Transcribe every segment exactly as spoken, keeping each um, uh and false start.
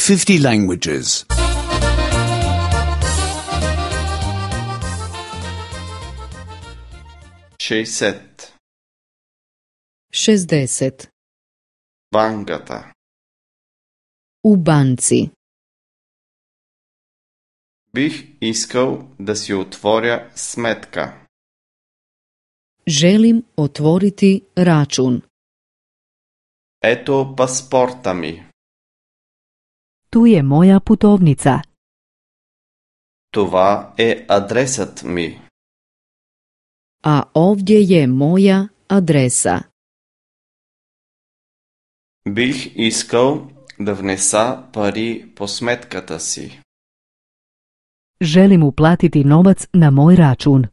fifty languages. šezdeset. šezdeset. Банката. U banci. Бих искал да си отворя сметка. Želim otvoriti račun. Ето паспорта ми. Tu je moja putovnica. Това е адресът ми. A ovdje je moja adresa. Бих искал да внеса пари по сметката си. Želim uplatiti novac na moj račun.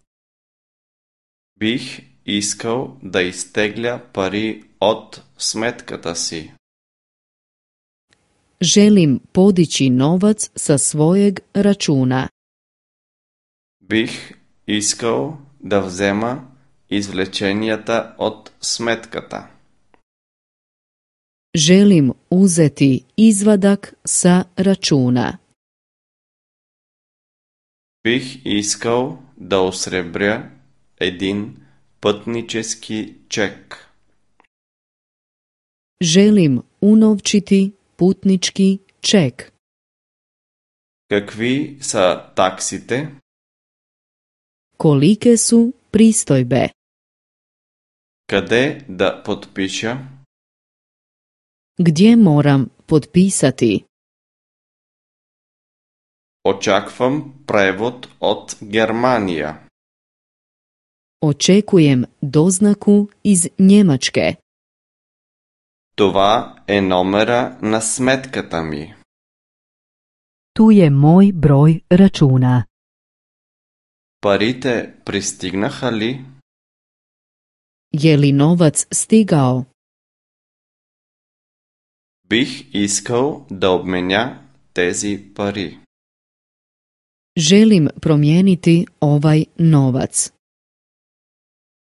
Бих искал да изтегля пари от сметката си. Želim podići novac sa svojeg računa. Бих искал да взема извлеченията от сметката. Želim uzeti izvadak sa računa. Бих искал да осребря един пътнически чек. Želim unovčiti putnički ček. Какви са таксите? Kolike su pristojbe? Къде да подпиша? Gdje moram potpisati? Очаквам превод от Германия. Očekujem doznaku iz Njemačke. Това е номера на сметката ми. Tu je moj broj računa. Парите пристигнаха ли? Je li novac stigao? Бих искал да обменя тези пари. Želim promijeniti ovaj novac.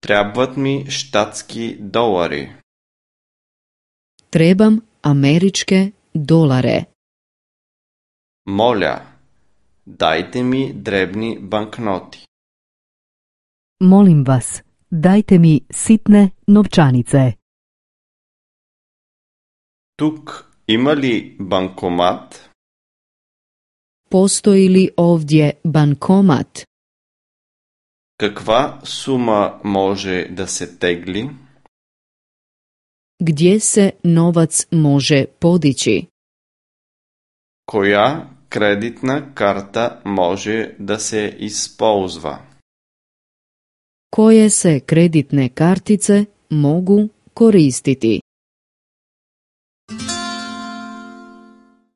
Трябват ми щатски долари. Trebam američke dolare. Моля, дайте ми дребни банкноти. Molim vas, dajte mi sitne novčanice. Тук има ли банкомат? Postoji li ovdje bankomat? Каква сума може да се тегли? Gdje se novac može podići? Коя кредитна карта може да се използва? Koje se kreditne kartice mogu koristiti?